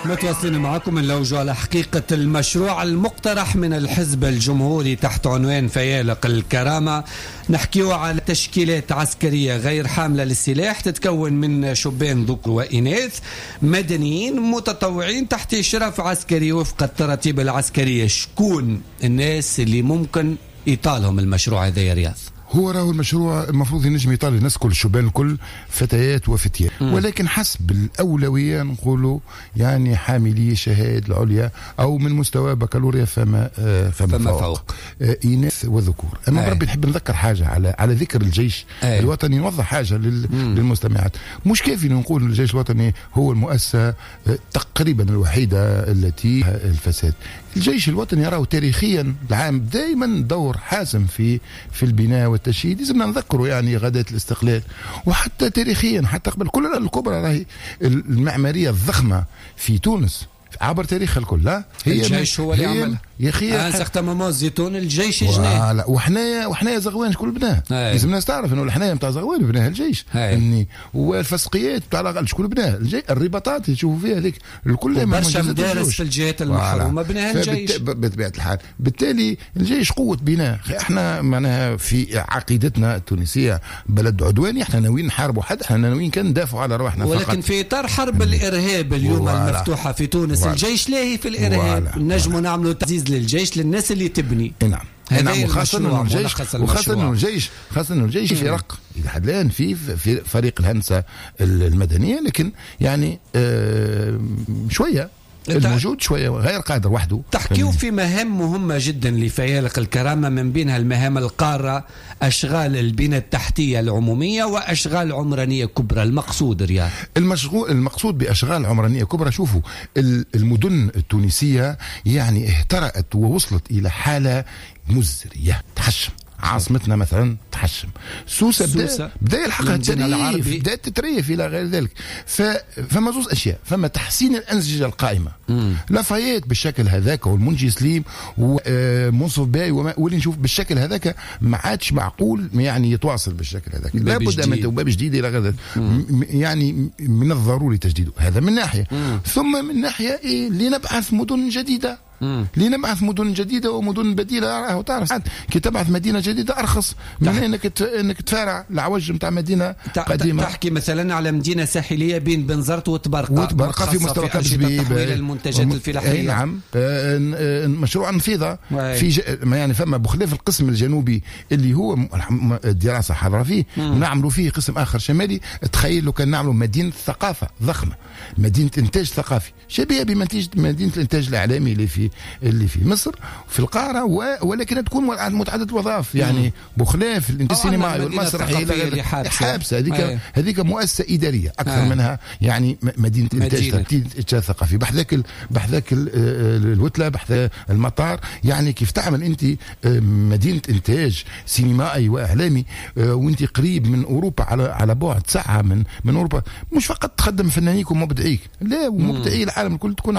متواصلين معكم نلوجوا على حقيقة المشروع المقترح من الحزب الجمهوري تحت عنوان فيالق الكرامة. نحكيو على تشكيلات عسكرية غير حاملة للسلاح تتكون من شبان ذكر وإناث مدنيين متطوعين تحت إشراف عسكري وفق التراتيب العسكرية. شكون الناس اللي ممكن يطالهم المشروع هذا يا رياض؟ هو راهو المشروع المفروض ينجم يطال الناس كل، الشبان الكل، فتيات وفتيات، ولكن حسب الأولوية نقولوا يعني حاملي الشهادة العليا أو من مستوى بكالوريا فما فوق، إناث وذكور. أما بربي نحب نذكر حاجة على ذكر الجيش الوطني، نوضح حاجة للمستمعات. مش كافي نقول الجيش الوطني هو المؤسسة تقريبا الوحيدة التي الفساد. الجيش الوطني راهو تاريخيا العام دائما دور حاسم في البناء والتشييد، لازمنا نذكره يعني غداة الاستقلال، وحتى تاريخيا حتى قبل كل الكبرى راهي المعمارية الضخمة في تونس عبر تاريخها الكل. لا هي الجيش هو اللي عمل يا اخي certain moment الزيتون الجيش جناه. وحنايا زغوان شكون بناه؟ لازم الناس تعرف انه الحنايا نتاع زغوان بناها الجيش، والفسقيات تاع الاغل شكون بناها؟ الجيش. الرباطات اللي تشوفوا فيها هذيك الكل برشا مدارس في الجهات المحرومه بناها الجيش بطبيعة الحال. بالتالي الجيش قوة بناء. احنا معناها في عقيدتنا التونسية بلد عدواني، احنا ناويين نحاربوا حد، احنا ناويين كان ندافعوا على رواحنا فقط. ولكن في اطار حرب الارهاب اليوم المفتوحة في تونس، الجيش لاهي في الارهاب، نجموا نعملوا تعزيز للجيش للناس اللي تبني. نعم نعم، وخاصة انه الجيش، وخاصة انه الجيش، خاصة انه الجيش فرق الى حد الان في فريق الهندسة المدنية، لكن يعني شوية الموجود شوية غير قادر وحده. تحكيو في مهام مهمة جدا لفيالق الكرامة، من بينها المهام القارة، أشغال البنى التحتية العمومية وأشغال عمرانية كبرى. المقصود رياض؟ المقصود بأشغال عمرانية كبرى، شوفوا المدن التونسية يعني اهترأت ووصلت إلى حالة مزرية تحشم. عاصمتنا مثلا تحشم، سوسة بدا يلحقها التريف، بدات تتريف الى غير ذلك. فما زوز اشياء، فما تحسين الانسجة القائمة، لافايت بالشكل هذاك والمنجي سليم ومنصف باي واللي نشوف بالشكل هذاك ما عادش معقول يعني يتواصل بالشكل هذاك، لابد من باب جديد الى غير ذلك، يعني من الضروري تجديده. هذا من ناحية. ثم من ناحية إيه، لنبعث مدن جديدة، لنبعث مدن جديدة ومدن بديله. راهو تعرف كي تبعث مدينة جديدة ارخص من انك تفارع العوج نتاع مدينة قديمة. تحكي مثلا على مدينة ساحليه بين بنزرت وتبرقه في مستوى تحويل المنتجات الفلاحية. نعم، مشروع النفيضه في يعني فما بخلاف القسم الجنوبي اللي هو الدراسة حاضره فيه، نعملوا فيه قسم اخر شمالي. تخيل لو كان نعملوا مدينة ثقافة ضخمة، مدينة انتاج ثقافي شبيهه بمدينة الانتاج الاعلامي اللي في مصر في القاهرة، ولكن تكون متعددة الوظائف، يعني بخلاف الانتاج السينمائي والمسرحي حابسه هذيك مؤسسة ادارية اكثر منها يعني مدينة انتاج ثقافي. بحذاك الوتله، بحذا المطار، يعني كيف تعمل انت مدينة انتاج سينمائي واعلامي وانت قريب من اوروبا على بعد ساعة من اوروبا، مش فقط تخدم فنانيك ومبدعيك، لا ومبدعي العالم الكل تكون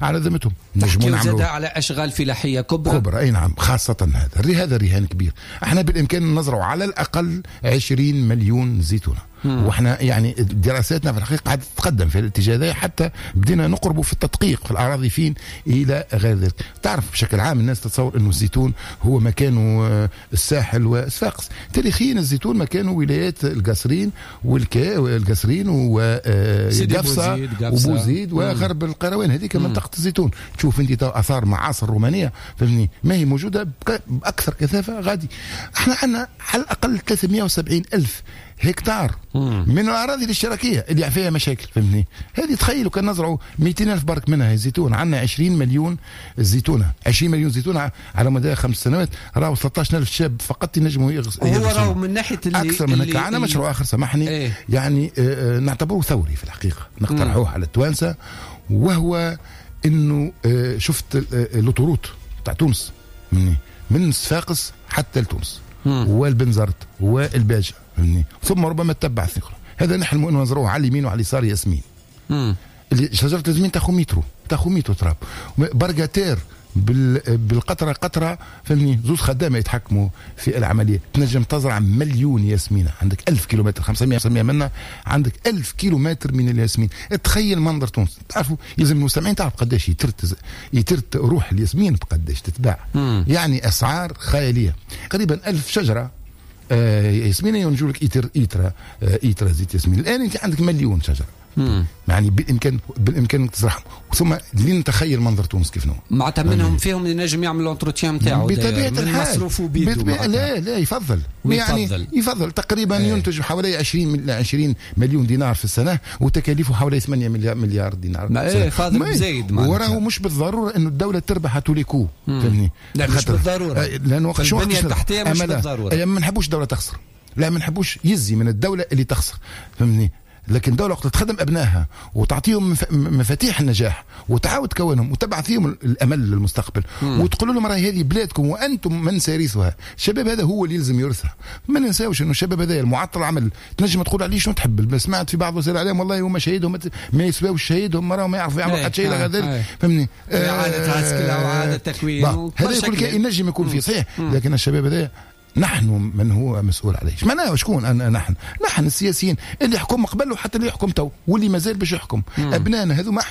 على ذمتهم. نجموا نعملوا على أشغال فلاحية كبرى. أي نعم، خاصة هذا رهان كبير. احنا بالإمكان نزرع على الأقل 20 مليون زيتونة، واحنا يعني دراساتنا في الحقيقة قاعدة تتقدم في الاتجاه هذا، حتى بدينا نقربوا في التدقيق في الأراضي فين إلى غير ذلك. تعرف بشكل عام الناس تتصور أنه الزيتون هو مكانه الساحل وصفاقس. تاريخيا الزيتون مكانه ولايات القصرين والقصرين وقفصة وبوزيد وغرب القروان، هذيك منطقة الزيتون. تشوف انت اثار معاصر رومانية فهمني ما هي موجودة باكثر كثافة غادي. احنا عندنا على الاقل 370 ألف هكتار من الاراضي الاشتراكية اللي فيها مشاكل فهمني. هذه تخيلوا كان نزرعوا 200 ألف برك منها الزيتون، عندنا 20 مليون زيتونه، 20 مليون زيتونه على مدى 5 سنوات، راهو 13 ألف شاب فقط ينجموا يغرسوا. هو راهو من ناحية اللي اكثر من هكا. عندنا مشروع اخر سامحني إيه؟ يعني نعتبره ثوري في الحقيقة، نقترحوه على التوانسة، وهو انه شفت l'autoroute تاع تونس من صفاقس حتى لتونس والبنزرت والباجة، ثم ربما تتبع الثقة. هذا نحلم انه نزروه على اليمين وعلى اليسار ياسمين. اللي شجرة الياسمين تاخذ مترو، تاخذ مترو تراب. برقاتير بالقطره قطرة، فهمني، زوز خدامه يتحكموا في العملية. تنجم تزرع 1,000,000 ياسمينه، عندك 1000 كيلومتر، 500 منا، عندك 1000 كيلومتر من الياسمين. تخيل منظر تونس. تعرفوا يلزم المستمعين تعرف قداش يترت روح الياسمين بقداش تتباع. يعني اسعار خيالية. قريبا 1000 شجرة ياسمين ينجوا لك ايترا زيت ياسمين. الان انت عندك 1,000,000 شجرة. يعني بالامكان تزرعهم. ثم لنتخيل منظر تونس كيف نوع معناتها منهم فيهم اللي نجم يعمل l'entretien نتاعو بطبيعة الحال مصروفه بيدو. لا يفضل، يعني يفضل تقريبا ينتج حوالي 20 مليون دينار في السنة، وتكاليفه حوالي 8 مليار دينار. ما فاضل بزايد. وراه مش بالضرورة انه الدولة تربح à tous les coups، فهمني؟ لا مش بالضرورة، لانه البنية التحتية مش بالضرورة. ما نحبوش الدولة تخسر، لا ما نحبوش يزي من الدولة اللي تخسر، فهمني؟ لكن دولة وقت تخدم أبنائها وتعطيهم مفاتيح النجاح وتعاود تكونهم وتبعث فيهم الأمل للمستقبل وتقول لهم راهي هذه بلادكم وأنتم من سارثها. الشباب هذا هو اللي يلزم يرثها. ما ننساوش أنه الشباب هذا المعطل عمل تنجم تقول عليه شنو تحب. سمعت في بعض وسائل الإعلام والله هما شهيدهم ما يسواوش شهيدهم، راهم ما يعرفوا يعملوا حتى شيء غير ذلك، فهمني؟ إعادة عسكرة وإعادة تكوين، هذا كل ينجم يكون فيه صحيح، لكن الشباب هذا نحن من هو مسؤول عليه. معناه شكون؟ نحن السياسيين اللي يحكم قبل وحتى اللي يحكم تو واللي مازال باش يحكم. ابنائنا هذوما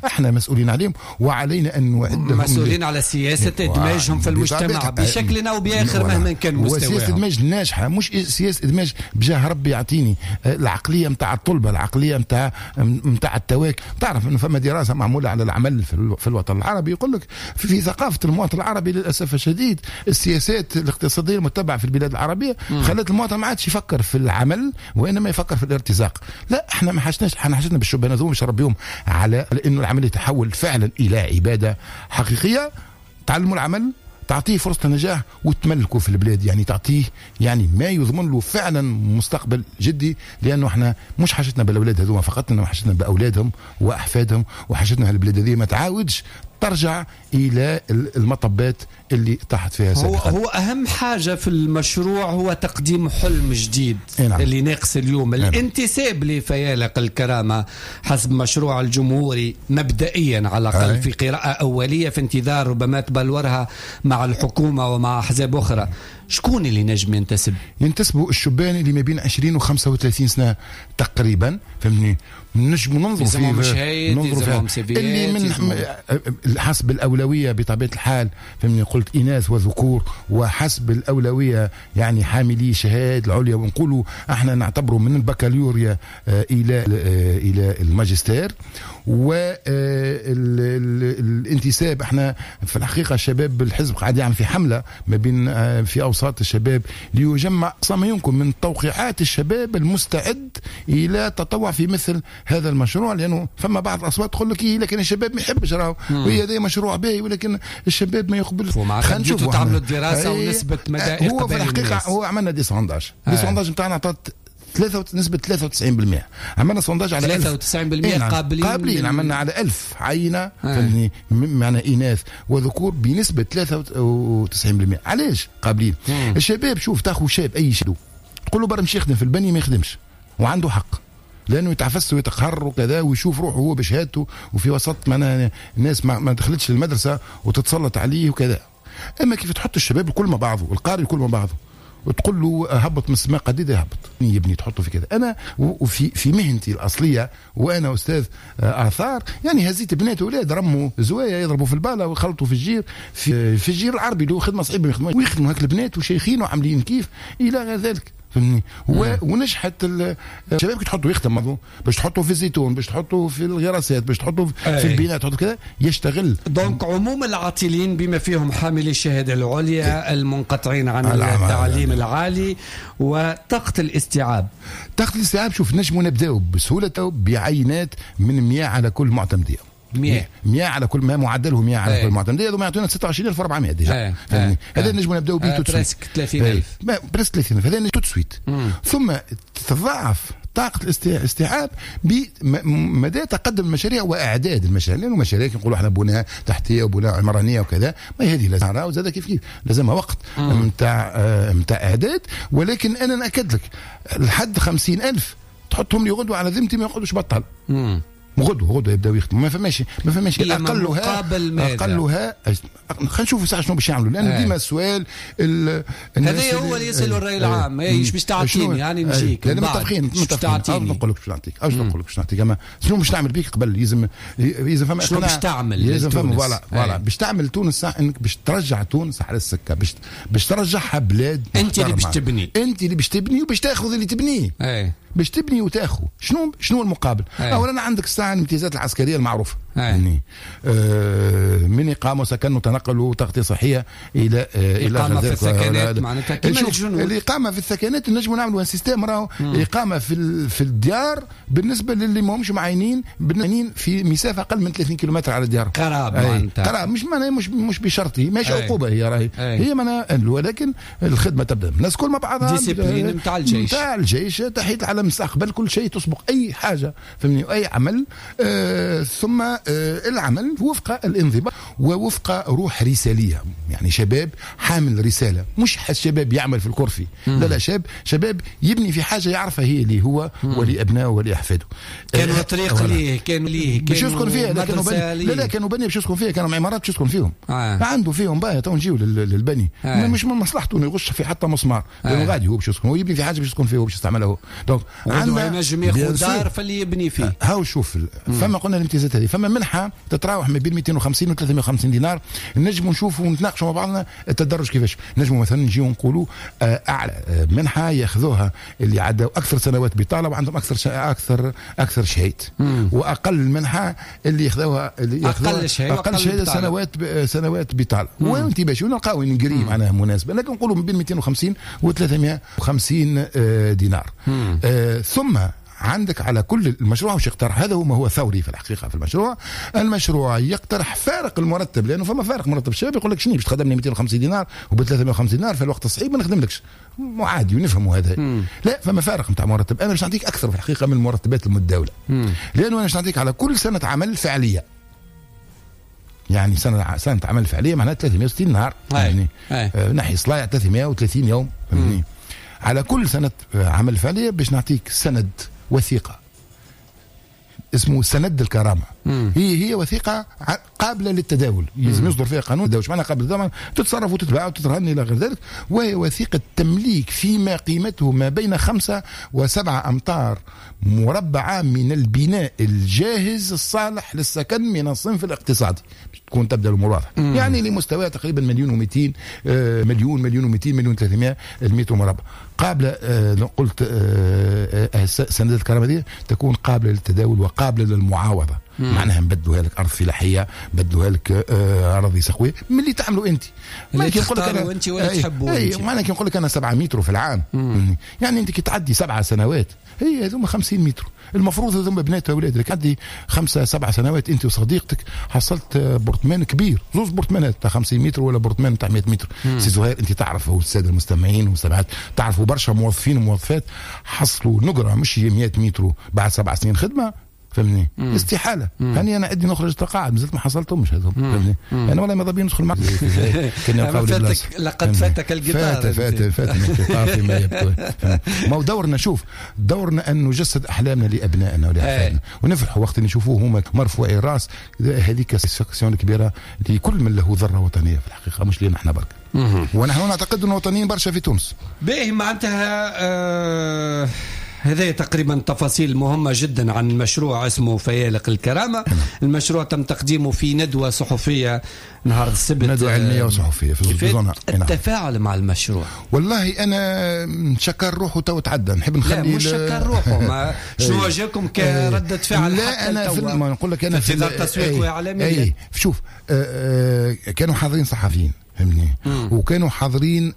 احنا مسؤولين عليهم، وعلينا ان نعدهم مسؤولين على سياسة ادماجهم في المجتمع بشكل او باخر مهما كان مستواهم. وسياسة ادماج ناجحة، مش سياسة ادماج بجاه ربي يعطيني العقلية نتاع الطلبة، العقلية نتاع التواك. تعرف انه فما دراسة معمولة على العمل في الوطن العربي، يقول لك في ثقافة المواطن العربي للاسف الشديد السياسات الاقتصادية المتبعة في البلاد العربية خلت المواطن ما عادش يفكر في العمل وانما يفكر في الارتزاق. لا، احنا ما حاجتناش، احنا حاجتنا بالشبان هذوما باش نربيهم على انه العمل يتحول فعلا الى عباده حقيقية. تعلموا العمل، تعطيه فرصة النجاح وتملكه في البلاد، يعني تعطيه يعني ما يضمن له فعلا مستقبل جدي. لانه احنا مش حاجتنا بالاولاد هذوما فقط، انما حاجتنا باولادهم واحفادهم، وحاجتنا هالبلاد هذه ما تعاودش ترجع الى المطبات اللي طاحت فيها سابقا. هو اهم حاجة في المشروع هو تقديم حلم جديد. نعم. اللي ناقص اليوم. نعم. الانتساب لفيالق الكرامة حسب مشروع الجمهوري مبدئيا على الاقل في قراءة اوليه، في انتظار ربما تبلورها مع الحكومة ومع احزاب اخرى. شكون اللي نجم ينتسب؟ ينتسبوا الشبان اللي ما بين 20 و 35 سنة تقريبا، فهمتني؟ نجم ننظروا فيه، ننظروا فيه اللي من حسب الاولوية بطبيعة الحال، فهمني؟ قلت اناث وذكور، وحسب الاولوية يعني حاملي شهادة العليا، ونقولوا احنا نعتبره من البكالوريا الى الماجستير. والانتساب احنا في الحقيقة الشباب بالحزب قاعد يعمل في حمله ما بين في اوساط الشباب ليجمع اقصى ما يمكن من توقيعات الشباب المستعد الى التطوع في مثل هذا المشروع، لانه فما بعض الاصوات تقول لك إيه لكن الشباب ما يحبش، راهو وهي هذا مشروع باهي ولكن الشباب ما يقبلش. خلينا نشوفوا تعملوا الدراسة ونسبه مدى اقبال. هو في الحقيقة هو عملنا des sondages، des sondages نتاعنا عطات نسبة 93%. عملنا sondage على 93% قابلين، عملنا على 1000 عينة، فهمتني؟ معنا إناث وذكور بنسبة 93%. علاش قابلين؟ الشباب شوف، تاخذ شاب أي شاب تقول له برا مشي يخدم في البني ما يخدمش، وعنده حق، لأنه يتعفس ويتقهر وكذا ويشوف روحه هو بشهادته وفي وسط معنا ناس ما دخلتش المدرسة وتتسلط عليه وكذا. أما كيف تحط الشباب الكل مع بعضه، القاري الكل مع بعضه، وتقول له هبط من السماء قديد يهبط، يبني تحطه في كذا. انا وفي في مهنتي الاصلية وانا استاذ اثار، يعني هزيت بنات واولاد رموا زوايا يضربوا في الباله ويخلطوا في الجير، في الجير العربي اللي هو خدمة صعيبة، ويخدموا هاك البنات وشيخين وعاملين كيف الى غير ذلك، فهمني؟ ونجحت الشباب كي تحطوا يخدم، باش تحطوا في الزيتون، باش تحطوا في الغراسات، باش تحطوا في البناء، تحطوا كذا يشتغل. donc عموم العاطلين بما فيهم حاملي الشهادة العليا، المنقطعين عن التعليم العالي، وطاقة الاستيعاب. طاقة الاستيعاب شوف نجموا نبداو بسهولة بعينات من 100 على كل معتمديه. 100 على كل ما معدله 100 على كل معتمديه، هذوما يعطونا 26400 déjà، فهمني؟ هذا نجموا نبداو به tout de suite، presque 30000، presque 30000، هذا tout de suite. ثم تتضاعف طاقة الاستيعاب بمدى تقدم المشاريع واعداد المشاريع، لانه مشاريع نقولوا احنا بناء تحتيه وبناء عمرانيه وكذا، ما هذه لازم وزاد كيف كيف لازمها وقت نتاع اعداد. ولكن انا ناكد لك لحد 50000 تحطهم لي غدوه على ذمتي ما يقعدوش بطل. غدوه يبداو يخدموا. ما فماش اقلها خلينا نشوفوا ساعة شنو باش يعملوا، لان ديما السؤال هذا هو اللي يسالوا الراي العام، ايش باش تعطيني يعني نجيك. لان متفقين نقول لك باش نعطيك، نقول لك باش نعطيك، اما شنو باش نعمل بيك قبل؟ لازم فما شنو باش تعمل، لازم فما voilà باش تعمل تونس، انك باش ترجع تونس على السكة، باش ترجعها بلاد. انت اللي باش تبني، انت اللي باش تبني وباش تاخذ اللي تبنيه. باش تبني وتاخذ. شنو المقابل؟ اولا عندك الساعة الامتيازات العسكرية المعروفة، يعني من اقامه وسكن وتنقل وتغطيه صحية الى اقامه في السكنات، معناتها كيما الجنود. الاقامة في السكنات نجموا نعملوا système، راهو اقامه في الديار بالنسبة للي ماهمش معينين في مسافة اقل من 30 كيلومتر على الديار. قراب معناتها، قراب مش معناها مش بشرطي، ماشي عقوبه هي راهي هي معناها، ولكن الخدمة تبدا الناس كل مع بعضها، discipline نتاع الجيش، نتاع الجيش، تحية العلم، المستقبل، كل شيء تسبق اي حاجة، فهمني، اي عمل. ثم العمل وفق الانضباط ووفق روح رساليه، يعني شباب حامل رسالة، مش شباب يعمل في الكرفي، لا شباب يبني في حاجة يعرفها هي اللي هو ولابنائه ولاحفاده. كانوا طريق ليه، كانوا ليه، باش يسكن فيها، لا كانوا بني باش يسكن فيها، كانوا عمارات باش يسكن فيهم. عنده فيهم باهي، تو نجيو للبني. مش من مصلحته انه يغش في حتى مسمار، لانه غادي هو باش يسكن، هو يبني في حاجة باش يسكن فيها وباش يستعملها هو. donc عندنا ينجم ياخذ دار فاللي يبني فيه. هاو شوف، فما قلنا الامتيازات هذه، فما منحه تتراوح ما بين 250 و 350 دينار. نجموا نشوفوا ونتناقشوا مع بعضنا التدرج كيفاش. نجموا مثلا نجيو نقولوا اعلى منحه ياخذوها اللي عداو اكثر سنوات بطاله وعندهم اكثر اكثر شهيد، واقل منحه اللي ياخذوها اللي اقل شهادة سنوات بطاله. وانت باش نلقاو نجري معناها مناسبة، لكن نقولوا ما بين 250 و 350 دينار. ثم عندك على كل المشروع وش يقترح، هذا هو ما هو ثوري في الحقيقة في المشروع. المشروع يقترح فارق المرتب، لانه فما فارق مرتب. الشباب يقول لك شنو باش تخدمني 250 دينار وب 350 دينار في الوقت الصعيب ما نخدملكش، عادي ونفهموا هذا. لا، فما فارق نتاع مرتب. انا باش نعطيك اكثر في الحقيقة من المرتبات المتداولة، لانه انا باش نعطيك على كل سنة عمل فعليه، يعني سنة عمل فعليه معناها 360 نهار، يعني نحي صلايع 330 يوم، فهمتني؟ على كل سنة عمل فعليه باش نعطيك سند وثيقة اسمه سند الكرامة. هي وثيقة قابلة للتداول، لازم يصدر فيها قانون التداول. معناها قابلة للتداول تتصرف وتتباع وتترهن إلى غير ذلك. وهي وثيقة تمليك فيما قيمته ما بين 5 و7 أمتار مربعة من البناء الجاهز الصالح للسكن من الصنف الاقتصادي، تكون تبدأ الأمور واضحة. يعني لمستوى تقريبا 1,200,000 1,200,000 1,300,000 المتر مربع. قابلة، قلت سندات الكرامة دي تكون قابلة للتداول وقابلة للمعاوضة. معناها نبدلوها لك أرض فلاحية، نبدلوها لك أراضي سقوية من اللي تعملوا أنت، اللي تختاروا أنت ولا تحبوا أنت. معناها كي نقول لك أنا 7 متر في العام، يعني أنت كي تعدي 7 سنوات هي هذوما 50 متر. المفروض هذوما بنات واولاد، تعدي 5 7 سنوات انت وصديقتك حصلت برطمان كبير، زوز برطمانات تاع 50 متر ولا برطمان تاع 100 متر. سي زهير انت تعرف، والسادة المستمعين والمستمعات تعرفوا برشا موظفين وموظفات حصلوا نقره مش 100 متر بعد 7 سنين خدمة، فهمني؟ استحالة. يعني انا عندي نخرج تقاعد مازلت ما حصلتهمش هذوم، فهمني؟ انا والله ماذا بيا ندخل معك. لقد فاتك القطار، فاتني القطار فيما يبدو. ما هو دورنا، شوف دورنا ان نجسد احلامنا لابنائنا ولاحفادنا، ونفرحوا وقت نشوفوه هما مرفوعي الراس. هذيك satisfaction كبيرة لكل من له ذره وطنية في الحقيقة، مش لنا احنا برك. ونحن نعتقد ان وطنيين برشا في تونس. باهي، معناتها هذه تقريبا تفاصيل مهمة جدا عن مشروع اسمه فيالق الكرامة. المشروع تم تقديمه في ندوة صحفية نهار السبت، ندوة علمية وصحفية في زونا. التفاعل مع المشروع، والله أنا نشكر روحه تو تعدى، نحب نخلي، لا مش شكر روحه، ما شنو جاكم كردة فعل؟ لا أنا في ما نقول لك أنا في تسويق وإعلامي. شوف، كانوا حاضرين صحفيين، فهمني، وكانوا حاضرين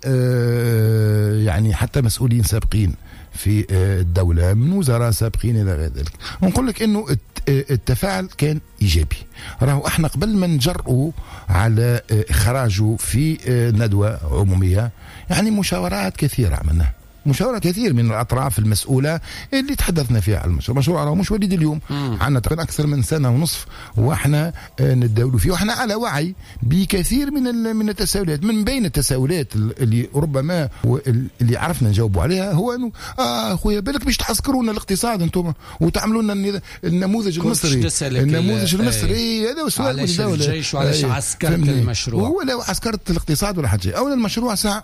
يعني حتى مسؤولين سابقين في الدولة من وزراء سابقين إلى غير ذلك. ونقول لك إنه التفاعل كان إيجابي. راهو احنا قبل ما نجرؤوا على إخراجه في ندوة عمومية، يعني مشاورات كثيرة عملناها. مشاوره كثير من الاطراف المسؤولة اللي تحدثنا فيها على المشروع. المشروع راه مش وليد اليوم، عندنا تقريبا اكثر من سنة ونصف واحنا نتداولوا فيه، واحنا على وعي بكثير من التساؤلات. من بين التساؤلات اللي ربما اللي عرفنا نجاوبوا عليها هو انه خويا بالك باش تعسكرونا الاقتصاد انتم وتعملوا لنا النموذج المصري، النموذج المصري هذا هو السؤال. علاش الجيش وعلاش عسكرت المشروع؟ هو لو عسكرت الاقتصاد ولا حاجة، اولا المشروع ساعة